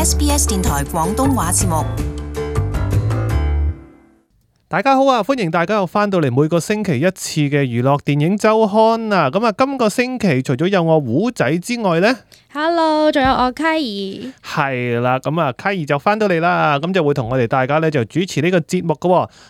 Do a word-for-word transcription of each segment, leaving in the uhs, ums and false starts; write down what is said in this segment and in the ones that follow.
S B S 電台廣東話節目。大家好啊，歡迎大家又翻到嚟每個星期一次嘅娛樂電影週刊啊！咁啊，今個星期除咗有我胡仔之外呢 Hello，仲有我 Kai，係啦，咁啊，Kai就翻到嚟啦，咁就會同我哋大家咧就主持呢個節目噶。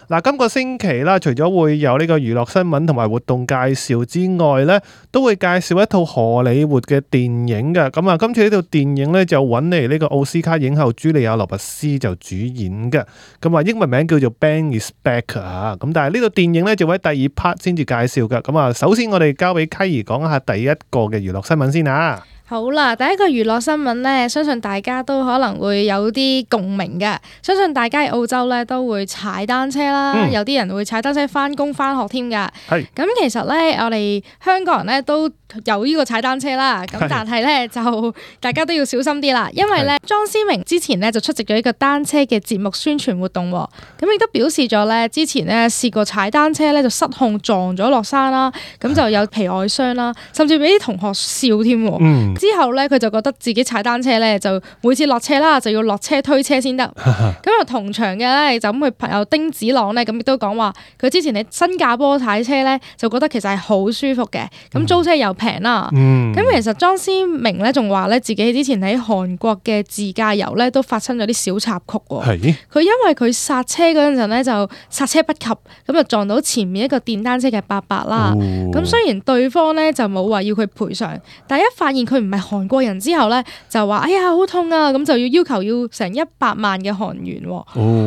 嗱，今個星期啦，除咗會有呢個娛樂新聞同埋活動介紹之外咧，都會介紹一套荷里活嘅電影嘅。咁啊，今次呢套電影咧就揾嚟呢個奧斯卡影后茱莉亞羅拔斯就主演嘅。咁啊，英文名叫做 Bang is Back 啊。咁但係呢套電影咧就會喺第二 part 先至介紹嘅。咁啊，首先我哋交俾 Kai 講下第一個嘅娛樂新聞先啊。好啦，第一個娛樂新聞呢，相信大家都可能會有啲共鳴嘅。相信大家喺澳洲呢都會踩單車啦，嗯、有啲人會踩單車返工返學添㗎。係咁，其實呢，我哋香港人呢都有呢個踩單車啦。咁但係呢，就大家都要小心啲啦，因為呢，莊思明之前呢就出席咗一個單車嘅節目宣傳活動，咁亦都表示咗呢，之前呢試過踩單車呢就失控撞咗落山啦，咁就有皮外傷啦，甚至俾啲同學笑添。嗯之後咧，佢就覺得自己踩單車咧，就每次落車啦，就要落車推車先得。咁啊，同場嘅咧，就咁佢朋友丁子朗咧，咁亦都講話，佢之前喺新加坡踩車咧，就覺得其實係好舒服嘅。咁租車又平啦。咁、嗯、其實莊思明咧，仲話咧，自己之前喺韓國嘅自駕遊咧，都發生咗啲小插曲喎。係。佢因為佢剎車嗰陣咧，就剎車不及，咁就撞到前面一個電單車嘅伯伯啦。咁、哦、雖然對方咧就冇話要佢賠償，但係一發現佢唔係韓國人之後咧，就話哎呀好痛啊，咁就要要求要成一百萬嘅韓元。哦，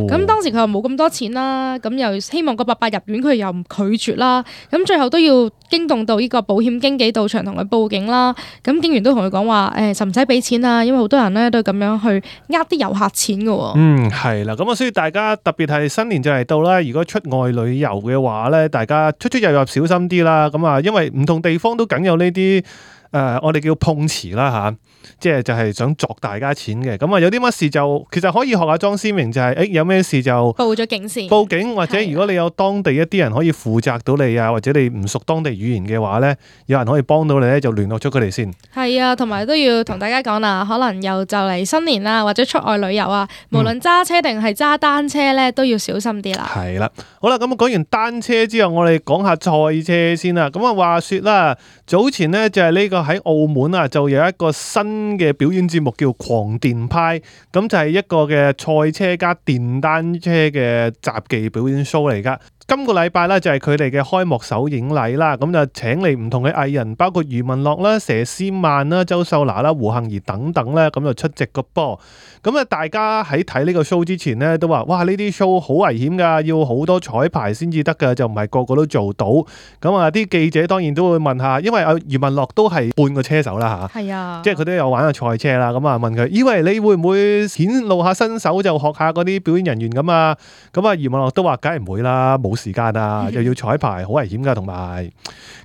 咁當時佢又冇咁多錢啦，咁又希望個伯伯入院，佢又唔拒絕啦，咁最後都要驚動到呢個保險經紀到場同佢報警啦。咁警員都同佢講話，誒，使唔使俾錢啊？因為好多人咧都咁樣去呃啲遊客錢嘅。嗯，係啦，咁啊，所以大家特別係新年就嚟到啦，如果出外旅遊嘅話咧，大家出出入入小心啲啦。咁啊，因為唔同地方都梗有呢啲。誒、呃，我哋叫碰瓷啦嚇，即係就係想鑿大家錢嘅。咁啊，有啲乜事就其實可以學下莊思明，就係、是、誒有咩事就報咗警先。報警或者如果你有當地一啲人可以負責到你啊，或者你唔熟當地語言嘅話咧，有人可以幫到你咧，就聯絡咗佢哋先。係啊，同埋都要同大家講啦，可能又就嚟新年啦，或者出外旅遊啊，無論揸車定係揸單車咧，都要小心啲啦。係啦，好啦，咁啊講完單車之後，我哋講下賽車先啦。咁啊話説啦，早前咧就係呢、這個。喺澳門啊，就有一個新嘅表演節目叫狂電派，咁就係一個嘅賽車加電單車嘅雜技表演 show 嚟噶。今個禮拜咧就係佢哋嘅開幕首映禮啦，咁就請嚟唔同嘅藝人，包括余文樂啦、佘詩曼啦、周秀娜啦、胡杏兒等等咧，咁就出席個波。咁啊，大家喺睇呢個 show 之前咧，都話：哇，呢啲 show 好危險㗎，要好多彩排先至得㗎，就唔係個個都做到。咁啊，啲記者當然都會問下，因為阿余文樂都係半個車手啦嚇，係啊，即係佢都有玩下賽車啦。咁啊，問佢：以為你會唔會顯露下身手，就學下嗰啲表演人員咁啊？咁啊，余文樂都話：梗係唔會啦，冇時間啊，又要彩排，好危險㗎，同埋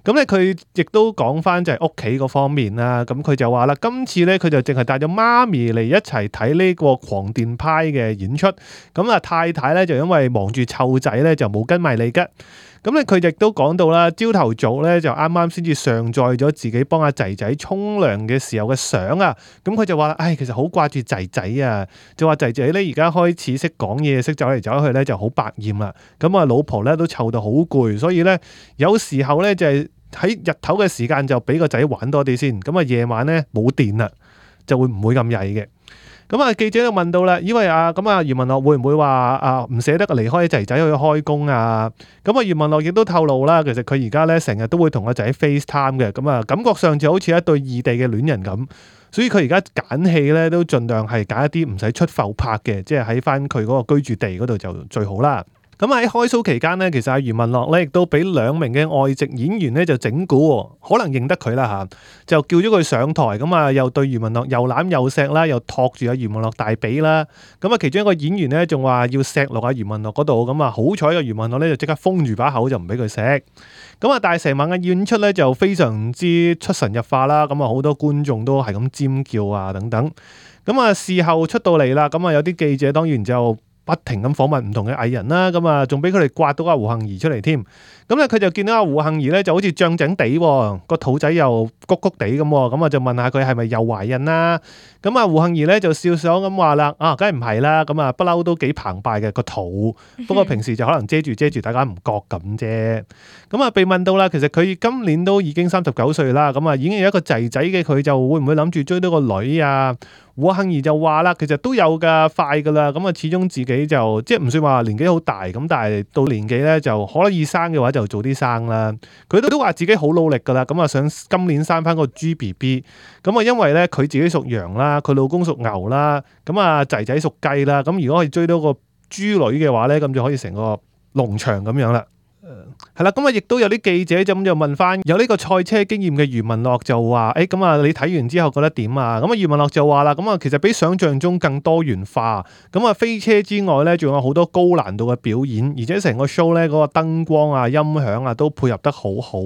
咁咧，佢亦都講翻就係屋企嗰方面啦。咁佢就話啦，今次咧佢就淨係帶咗媽咪嚟一齊睇呢個狂電派嘅演出。咁啊，太太咧就因為忙住湊仔咧，就冇跟埋嚟嘅。咁咧佢亦都講到啦，朝頭早咧就啱啱先至上載咗自己幫阿仔仔沖涼嘅時候嘅相啊。咁佢就話：唉，其實好掛住仔仔啊，就話仔仔咧而家開始識講嘢，識走嚟走去咧就好百厭啦。咁啊，老婆咧都湊到好攰，所以咧有時候咧就係喺日頭嘅時間就俾個仔玩多啲先。咁啊，夜晚咧冇電啦，就會唔會咁曳嘅。咁啊，記者就問到啦，因為啊，咁啊，余文樂會唔會話啊唔捨得離開仔仔去開工啊？咁啊，余文樂亦都透露啦，其實佢而家咧成日都會同個仔 FaceTime 嘅，咁啊，感覺上就好似一對異地嘅戀人咁，所以佢而家揀戲咧都盡量係揀一啲唔使出埠拍嘅，即係喺翻佢嗰個居住地嗰度就最好啦。咁喺開 show 期間咧，其實阿余文樂咧亦都俾兩名嘅外籍演員咧就整蠱，可能認得佢啦嚇，就叫咗佢上台，咁啊又對余文樂又攬又錫啦，又托住阿余文樂大髀啦。咁啊，其中一個演員咧仲話要錫落阿余文樂嗰度，咁啊好彩嘅余文樂咧就即刻封住把口就唔俾佢錫。咁啊，但係成晚嘅演出咧就非常之出神入化啦，咁啊好多觀眾都係咁尖叫啊等等。咁啊事後出到嚟啦，咁啊有啲記者當然就不停咁訪問唔同嘅藝人啦，咁啊仲俾佢哋刮到阿胡杏兒出嚟添。咁咧佢就見到阿胡杏兒咧就好似脹脹地，個肚仔又谷谷地咁，咁啊就問下佢係咪又懷孕啦？咁啊胡杏兒咧就笑笑咁話啦，啊梗係唔係啦，咁啊不嬲都幾澎湃嘅個肚，不過平時就可能遮住遮住，大家唔覺咁啫。咁啊被問到啦，其實佢今年都已經三十九歲啦，咁啊已經有一個仔仔嘅，佢就會唔會諗住追到個女啊？胡杏兒就話啦，其實都有噶，快噶啦，咁啊始終自己就即係唔算話年紀好大，咁但係到年紀咧就可以生嘅話就早啲生啦。佢都都話自己好努力噶啦，咁啊想今年生翻個豬 B B，咁啊因為咧佢自己屬羊啦，佢老公屬牛啦，咁啊仔仔屬雞啦，咁如果可以追到個豬女嘅話咧，咁就可以成個農場咁樣啦。係啦，咁啊，亦都有啲記者就咁就問翻有呢個賽車經驗嘅余文樂就話，誒，咁啊，你睇完之後覺得點啊？咁啊，余文樂就話啦，咁啊，其實比想象中更多元化。咁啊，飛車之外咧，仲有好多高難度嘅表演，而且成個 show 咧嗰個燈光啊、音響啊都配合得好好。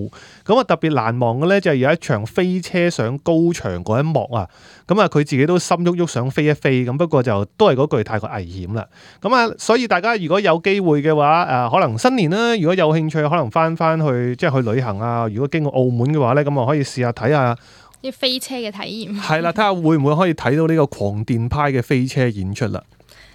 咁啊，特別難忘嘅咧就係有一場飛車上高牆嗰一幕啊。咁啊，佢自己都心喐喐想飛一飛，咁不過就都係嗰句太過危險啦。咁啊，所以大家如果有機會嘅話，誒，可能新年啦，如果有興趣，可能翻翻去即係去旅行啊。如果經過澳門嘅話咧，咁啊可以試下睇下啲飛車嘅體驗。係啦，睇下會唔會可以睇到呢個狂電派嘅飛車演出啦。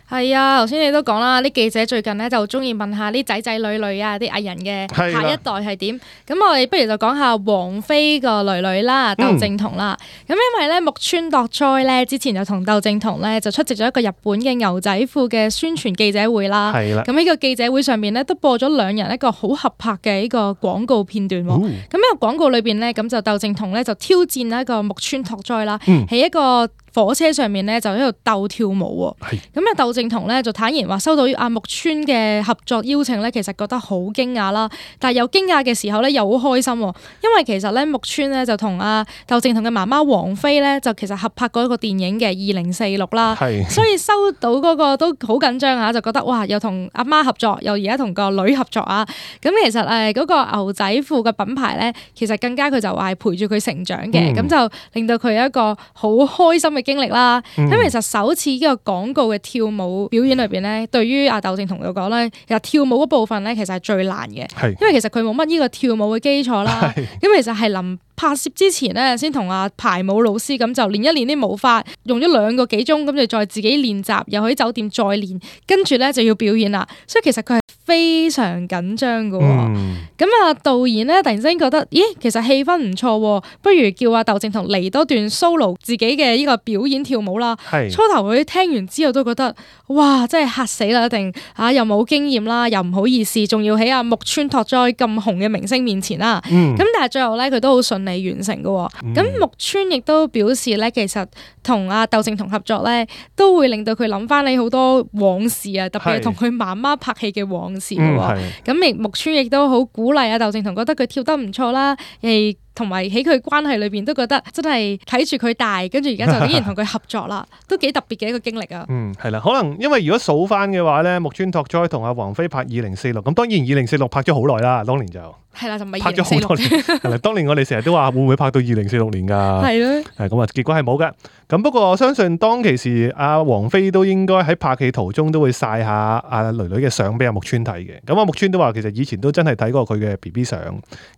係啊，頭先你都講啦，啲記者最近咧就中意問下啲仔仔女女啊，啲藝人嘅下一代係點。咁我哋不如就講下王菲個女女啦，竇靖童啦。咁、嗯、因為咧木村拓哉咧之前就同竇靖童咧就出席咗一個日本嘅牛仔褲嘅宣傳記者會啦。係啦。咁呢個記者會上面咧都播咗兩人一個好合拍嘅呢個廣告片段。咁呢、哦、個廣告裏邊咧，咁就竇靖童咧就挑戰一個木村拓哉啦，喺、嗯、一個火車上面咧就喺度鬥跳舞喎，咁啊竇靖童咧就坦言話收到阿木村嘅合作邀請咧，其實覺得好驚訝啦，但係又驚訝嘅時候咧又好開心，因為其實咧木村咧就同阿竇靖童嘅媽媽王菲咧就其實合拍過一個電影嘅二零四六啦，所以收到嗰個都好緊張啊，就覺得哇又同阿媽合作，又而家同個女合作啊，咁其實誒嗰個牛仔褲嘅品牌咧，其實更加佢就話係陪住佢成長嘅，咁、嗯、就令到佢有一個好開心嘅經歷啦，咁、嗯、其實首次呢個廣告嘅跳舞表演裏邊咧，對於阿竇靖童嚟講咧，其實跳舞嗰部分咧，其實係最難嘅，因為其實佢冇乜呢個跳舞嘅基礎啦，咁其實係臨拍攝之前咧，先同阿排舞老師咁就練一練啲舞法，用咗兩個幾鐘，咁就再自己練習，又喺酒店再練，跟住咧就要表演啦，所以其實佢係非常緊張嘅。咁、嗯、啊導演咧突然之間覺得，咦，其實氣氛唔錯，不如叫阿竇靖童嚟多段 solo 自己嘅呢個表演跳舞啦。初頭佢聽完之後都覺得，哇，真係嚇死啦！一定啊，又冇經驗啦，又唔好意思，仲要喺阿木村拓哉咁紅嘅明星面前啦。咁、嗯、但係最後咧，佢都好順利完成嘅。咁、嗯、木村亦都表示咧，其實同阿竇靖童合作咧，都會令到佢諗翻起好多往事啊，特別係同佢媽媽拍戲嘅往事嘅。咁亦、嗯、木村亦都好鼓勵阿竇靖童，覺得佢跳得唔錯啦，誒。同埋喺佢關係裏邊都覺得真係睇住佢大，跟住而家就竟然同佢合作啦，都幾特別嘅一個經歷啊！嗯，係啦，可能因為如果數翻嘅話咧，木村拓哉同阿王菲拍二零四六，咁當然二零四六拍咗好耐啦，當年就係啦，就唔係拍咗好多年。係啦，當年我哋成日都話會唔會拍到二零四六年㗎？係咯，係咁啊，結果係冇㗎。咁不過我相信當其時阿王菲都應該喺拍戲途中都會曬下阿囡囡嘅相俾阿木村睇嘅。咁阿木村都話其實以前都真係睇過佢嘅 B B 相，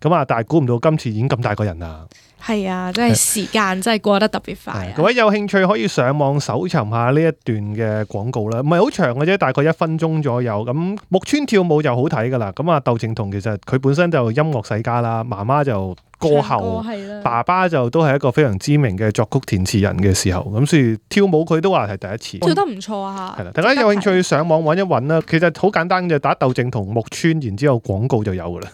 咁啊，但係估唔到今次已經咁大個人啦。係啊，真係時間真係過得特別快啊！各位有興趣可以上網搜尋下呢一段嘅廣告啦，唔係好長嘅啫，大概一分鐘左右。咁木村跳舞就好睇噶啦。咁啊，竇靖童其實佢本身就音樂世家啦，媽媽就歌后，爸爸就都係一個非常知名嘅作曲填詞人嘅時候，咁所以跳舞佢都話係第一次，跳得唔錯啊！係啦，大家有興趣上網揾一揾啦。其實好簡單嘅，打竇靖童木村，然之後廣告就有噶啦。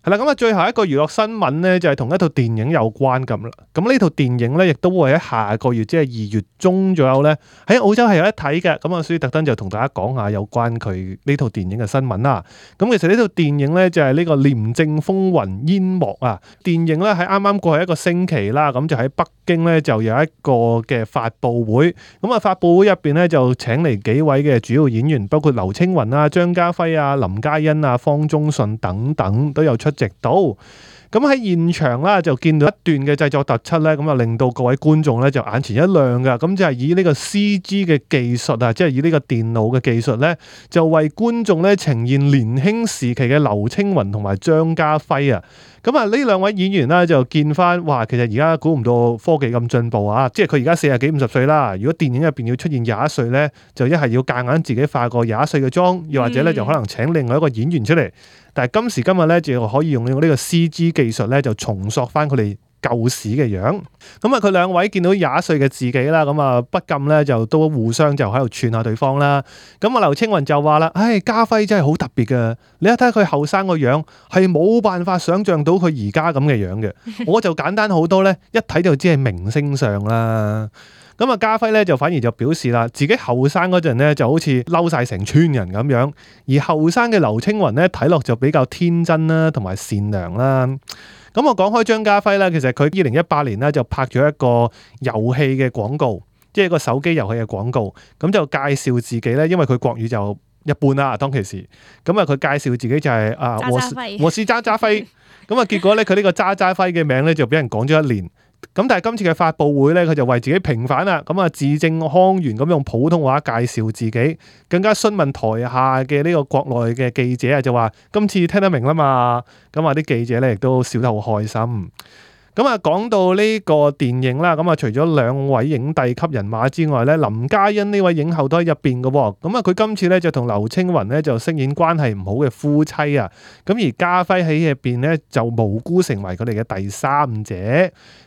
係啦，咁啊，最後一個娛樂新聞咧，就係同一套電影有關咁啦。咁呢套電影咧，亦都會喺下個月，即係二月中左右咧，喺澳洲係有得睇嘅。咁啊，所以特登就同大家講下有關佢呢套電影嘅新聞啦。咁其實呢套電影咧就係呢個《廉政風雲煙幕》啊。電影咧喺啱啱過去一個星期啦，咁就喺北京咧就有一個嘅發佈會。咁啊，發佈會入邊咧就請嚟幾位嘅主要演員，包括劉青雲啊、張家輝啊、林嘉欣啊、方中信等等都有出。直到咁喺現場啦，就見到一段嘅製作特輯咧，咁啊令到各位觀眾咧就眼前一亮噶。咁就係以呢個 C G 嘅技術啊，即係以呢個電腦嘅技術咧，就為觀眾咧呈現年輕時期嘅劉青雲同埋張家輝啊。咁啊呢兩位演員咧就見翻，哇！其實而家估唔到科技咁進步啊，即係佢而家四十幾五十歲啦。如果電影入邊要出現廿一歲咧，就一係要夾硬自己化個廿一歲嘅妝，又或者咧就可能請另外一個演員出嚟。但係今時今日咧，就可以用呢個 C G 技術咧，就重塑翻佢哋舊時嘅樣。咁啊，佢兩位見到廿一歲嘅自己啦，咁啊不禁咧就都互相就喺度串下對方啦。咁啊，劉青雲就話啦：唉，家輝真係好特別㗎，你一睇佢後生個樣，係冇辦法想像到佢而家咁嘅樣嘅。我就簡單好多咧，一睇就知係明星相啦。咁啊，家輝咧就反而就表示啦，自己後生嗰陣咧就好似嬲晒成村人咁樣，而後生嘅劉青雲咧睇落就比較天真啦，同埋善良啦。咁我講開張家輝啦，其實佢二零一八年咧就拍咗一個遊戲嘅廣告，即係一個手機遊戲嘅廣告，咁就介紹自己咧，因為佢國語就一般啦，當其時，咁啊佢介紹自己就係、是、啊，我是我是渣渣輝，咁啊結果咧佢呢個渣渣輝嘅名咧就俾人講咗一年。咁但係今次嘅發佈會咧，佢就為自己平反啦，咁啊字正腔圓咁用普通話介紹自己，更加詢問台下嘅呢個國內嘅記者啊，就話今次聽得明啦嘛，咁啊啲記者咧亦都笑得好開心。咁啊，講到呢個電影啦，咁啊，除咗兩位影帝級人馬之外咧，林嘉欣呢位影后都喺入邊嘅喎。咁啊，佢今次咧就同劉青雲咧就飾演關係唔好嘅夫妻啊。咁而家輝喺入邊咧就無辜成為佢哋嘅第三者。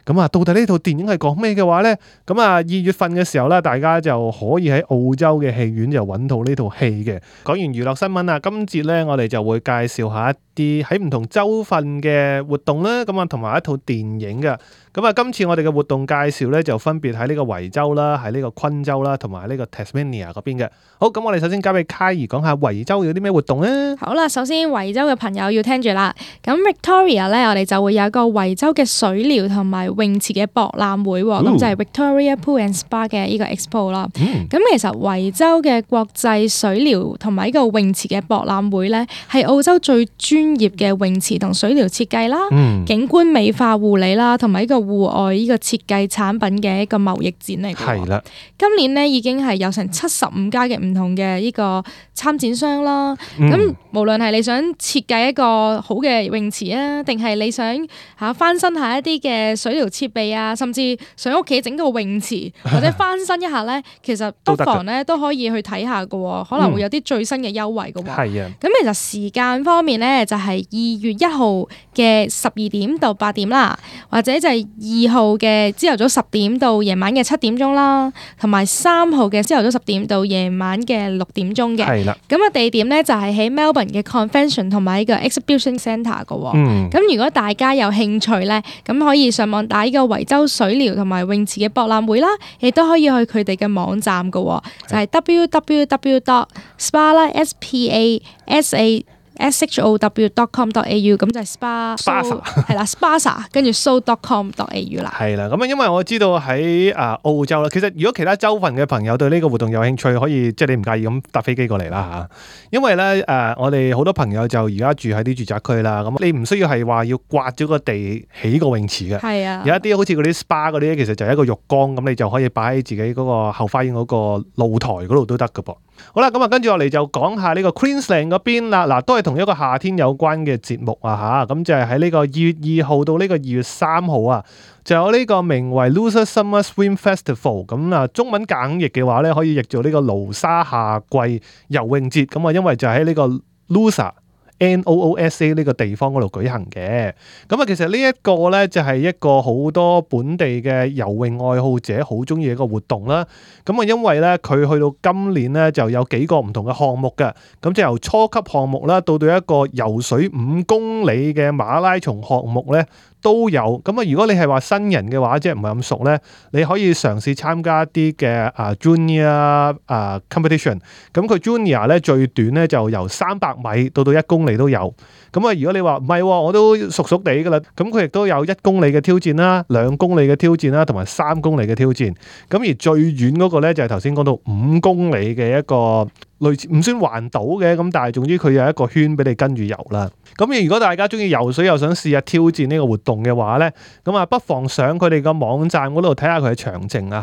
咁啊，到底呢套電影係講咩嘅話咧？咁啊，二月份嘅時候咧，大家就可以喺澳洲嘅戲院就揾到呢套戲嘅。講完娛樂新聞啊，今節咧我哋就會介紹下一啲喺唔同州份嘅活動啦。咁啊，同埋一套電影嘅。咁啊，今次我哋嘅活動介紹咧，就分別喺呢個維州啦，喺呢個昆州啦，同埋呢個 Tasmania 嗰邊嘅。好，咁我哋首先交俾卡兒講下維州有啲咩活動啊？好啦，首先維州嘅朋友要聽住啦。咁 Victoria 咧，我哋就會有一個維州嘅水療同埋泳池嘅博覽會，咁、哦、就係 Victoria Pool and Spa 嘅呢個 Expo 啦。咁、嗯、其實維州嘅國際水療同埋呢個泳池嘅博覽會咧，係澳洲最專業嘅泳池同水療設計啦、嗯、景觀美化護理啦，同埋呢個戶外呢個設計產品嘅一個貿易展嚟嘅。係啦，今年咧已經係有成七十五家嘅唔同嘅呢個參展商啦。咁、嗯、無論係你想設計一個好嘅泳池啊，定係你想嚇翻新下一啲嘅水療設備啊，甚至上屋企整個泳池或者翻新一下咧，其實不妨咧都可以去睇下嘅，可能會有啲最新嘅優惠嘅。係啊、嗯，咁其實時間方面咧就係、是、二月一號嘅十二點到八點啦，或者就係二號嘅朝頭早十點到夜晚嘅七點鐘啦，同埋三號嘅朝頭早十點到夜晚嘅六點鐘嘅。係啦，咁啊地點咧就係喺 Melbourne 嘅 Convention 同埋呢個 Exhibition Centre 嘅。嗯，咁如果大家有興趣咧，咁可以上網打呢個維州水療同埋泳池嘅博覽會啦，亦都可以去佢哋嘅網站嘅，就係、是、w w w dot spa 啦 s p a s a s h o w dot com dot a u， 咁就係 spa， 係啦 ，spasa 跟住 so dot com dot a u 啦。係啦，咁啊，因為我知道喺啊澳洲啦，其實如果其他州份嘅朋友對呢個活動有興趣，可以即係你唔介意咁搭飛機過嚟啦嚇。因為咧誒、呃，我哋好多朋友就而家住喺啲住宅區啦，咁你唔需要係話要刮咗個地起個泳池嘅。係啊，有一啲好似嗰啲 spa 嗰啲，其實就係一個浴缸，咁你就可以擺喺自己嗰個後花園嗰個露台嗰度都得㗎噃。好啦，咁啊，跟住落嚟就講下呢個 Queensland 嗰邊啦，嗱都係同一個夏天有關嘅節目啊吓，咁就係喺呢個二月二號到呢個二月三號啊，就有呢個名為 Noosa Summer Swim Festival， 咁啊中文簡譯嘅話咧，可以譯做呢個盧沙夏季游泳節，咁啊因為就喺呢個 Noosa N O O S A 呢個地方嗰度舉行嘅。咁啊其實呢一個咧就係一個好多本地嘅游泳愛好者好中意嘅一個活動啦。咁啊因為咧佢去到今年咧就有幾個唔同嘅項目嘅，咁就由初級項目啦到到一個游水五公里嘅馬拉松項目咧都有。咁啊如果你係話新人嘅話，即係唔係咁熟咧，你可以嘗試參加一啲嘅啊 junior 啊 competition。咁佢 junior 咧最短咧就由三百米到到一公里都有。咁啊如果你話唔係，我都熟熟地噶啦，咁佢亦都有一公里嘅挑戰啦、兩公里嘅挑戰啦，同埋三公里嘅挑戰。咁而最遠嗰個咧就係頭先講到五公里嘅一個類似唔算環島嘅，咁但係總之佢有一個圈俾你跟住遊啦。咁如果大家中意游水又想試下挑戰呢個活動嘅話咧，咁啊不妨上佢哋個網站嗰度睇下佢嘅詳情啊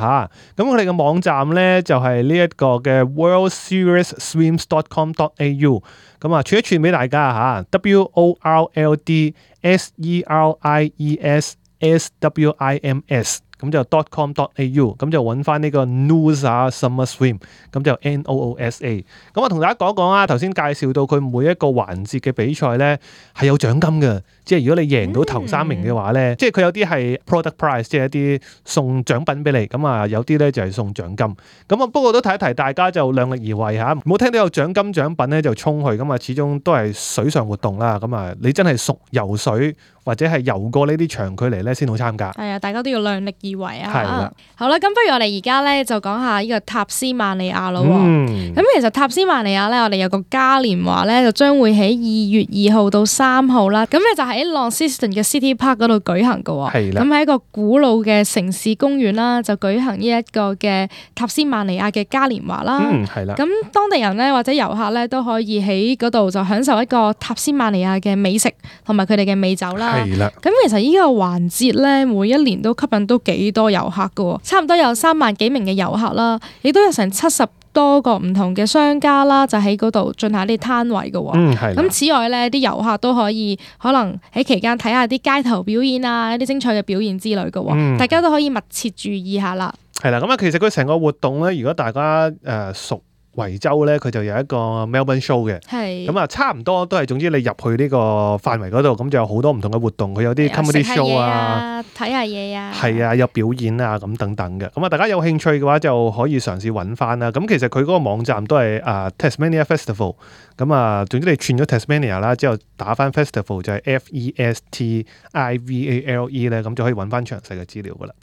嚇。咁佢哋嘅網站咧就係呢一個嘅 world series swims dot com dot a u。咁啊串一串俾大家嚇 ，W O R L D S E R I E S S W I M S。咁就 dot com dot a u， 咁就揾翻呢個 Noosa Summer Swim， 咁就 N O O S A。咁我同大家講講啊，頭先介紹到佢每一個環節嘅比賽咧係有獎金嘅，即係如果你贏到頭三名嘅話咧，嗯、即係佢有啲係 product prize， 即係一啲送獎品俾你，咁啊有啲咧就係送獎金。咁啊不過都提一提大家就量力而為嚇，唔好聽到有獎金獎品咧就衝去，咁啊始終都係水上活動啦，咁啊你真係熟游水或者係游過呢啲長距離咧先好參加。係啊，大家都要量力而為啊！係啦，好啦，咁不如我哋而家咧就講下呢個塔斯曼尼亞咯。咁、嗯、其實塔斯曼尼亞咧，我哋有個嘉年華咧，就將會喺二月二號到三號啦。咁咧就喺 Launceston 嘅 City Park 嗰度舉行㗎。係啦。咁喺一個古老嘅城市公園啦，就舉行呢一個嘅塔斯曼尼亞嘅嘉年華啦。嗯，係啦。咁當地人咧或者遊客咧都可以喺嗰度就享受一個塔斯曼尼亞嘅美食同埋佢哋嘅美酒啦。係啦。咁其實呢個環節咧，每一年都吸引到幾多遊客㗎，差唔多有三萬幾名嘅遊客啦，亦都有成七十多個唔同嘅商家啦，就喺嗰度進行啲攤位㗎。嗯，係。咁此外咧，啲遊客都可以可能喺期間睇下啲街頭表演啊，一啲精彩嘅表演之類㗎。嗯，大家都可以密切注意下啦。係啦，咁啊，其實佢成個活動咧，如果大家誒、呃、熟維州咧，佢就有一個 Melbourne Show 嘅，咁啊差唔多都係，總之你入去呢個範圍嗰度，咁就有好多唔同嘅活動，佢有啲 comedy show 啊，睇下嘢啊，係啊，有表演啊咁等等嘅。咁啊，大家有興趣嘅話就可以嘗試揾翻啦。咁其實佢嗰個網站都係啊 Tasmania Festival，咁啊總之你串咗 Tasmania 啦，之後打翻 Festival 就係 F E S T I V A L E 咧，咁就可以揾翻詳細嘅資料噶啦。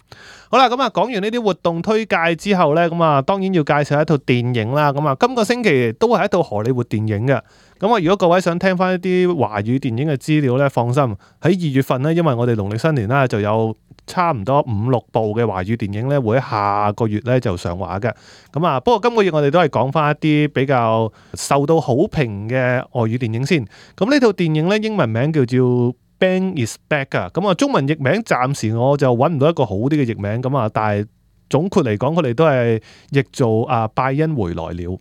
好啦，咁啊講完呢啲活動推介之後咧，咁啊當然要介紹一套電影啦。咁啊今個星期都係一套荷里活電影嘅。咁啊如果各位想聽翻一啲華語電影嘅資料咧，放心，喺二月份咧，因為我哋農曆新年啦，就有差唔多五六部嘅華語電影咧，會喺下個月咧就上畫嘅。咁啊不過今個月我哋都係講翻一啲比較受到好評嘅外語電影先。咁呢套電影咧英文名叫做Bang is back 啊，咁啊中文譯名暫時我就揾唔到一個好啲嘅譯名，咁啊但係總括嚟講，佢哋都係譯做啊拜恩回來了。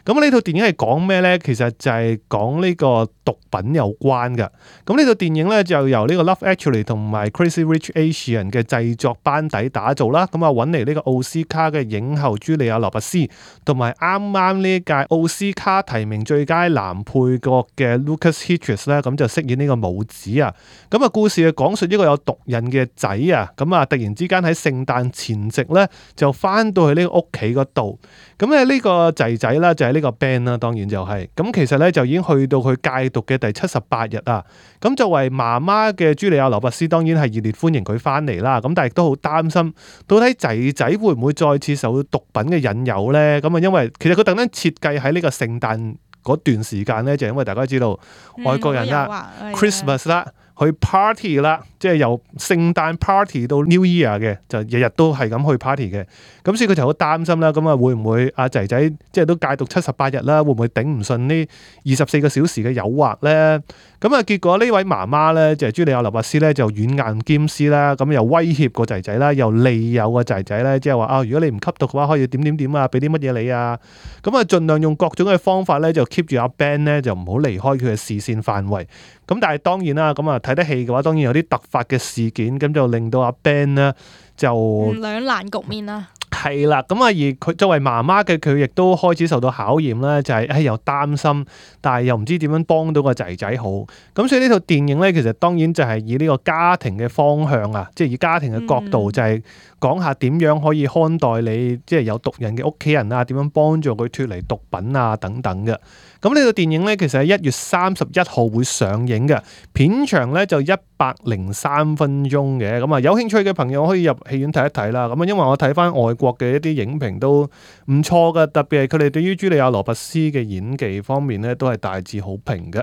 咁呢套電影係講咩咧？其實就係講呢個毒品有關嘅。咁呢套電影咧就由呢個 Love Actually 同埋 Crazy Rich Asian 嘅製作班底打造啦。咁啊揾嚟呢個奧斯卡嘅影后茱莉亞羅拔斯，同埋啱啱呢一屆奧斯卡提名最佳男配角嘅 Lucas Hedges 咧，咁就飾演呢個母子啊。咁啊故事係講述一個有毒癮嘅仔啊，咁啊突然之間喺聖誕前夕咧就翻到去呢個屋企嗰度。咁咧呢個仔仔啦就係呢個 Ben 啦，當然就係、是、咁其實咧就已經去到佢戒毒嘅第七十八日啊。咁作為媽媽嘅茱莉亞羅拔斯當然係熱烈歡迎佢翻嚟啦。咁但係亦都好擔心，到底仔仔會唔會再次受到毒品嘅引誘咧？咁啊因為其實佢特登設計喺呢個聖誕嗰段時間咧，就係、因為大家知道、嗯、外國人啦 Christmas 啦。去 party 啦，即係由聖誕 party 到 New Year 嘅，就日日都係咁去 party 嘅。咁所以佢就好擔心啦。咁啊會唔會阿仔仔即係都戒毒七十八日啦？會唔會頂唔順呢二十四個小時嘅誘惑咧？咁啊結果呢位媽媽咧就係茱莉亞羅拔斯咧就軟硬兼施啦。咁又威脅個仔仔啦，又利誘個仔仔咧，即係話啊，如果你唔吸毒嘅話，可以點點點啊，俾啲乜嘢你啊？咁啊盡量用各種嘅方法咧，就 keep 住阿 Ben 咧就唔好離開佢嘅視線範圍。咁但係當然啦，咁啊睇得戲嘅話，當然有啲突發嘅事件，咁就令到阿 Ben 咧就兩難局面啦。係啦，咁啊而佢作為媽媽嘅佢，亦都開始受到考驗啦，就係誒又擔心，但係又唔知點樣幫到個仔仔好。咁所以呢套電影咧，其實當然就係以呢個家庭嘅方向啊，即係以家庭嘅角度，就係講下點樣可以看待你即係有毒癮嘅屋企人啊，點樣幫助佢脫離毒品啊等等嘅。咁呢套電影咧，其實喺一月三十一號會上映嘅，片長咧就一百零三分鐘嘅。咁啊，有興趣嘅朋友可以入戲院睇一睇啦。咁啊，因為我睇翻外國嘅一啲影評都唔錯嘅，特別係佢哋對於茱莉亞羅拔斯嘅演技方面咧，都係大致好評嘅。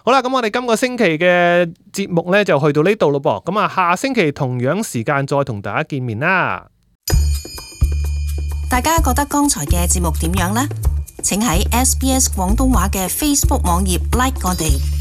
好啦，咁我哋今個星期嘅節目咧就去到呢度咯噃。咁啊，下星期同樣時間再同大家見面啦。大家覺得剛才嘅節目點樣呢？請喺 S B S 廣東話嘅 Facebook 網頁 like 我哋。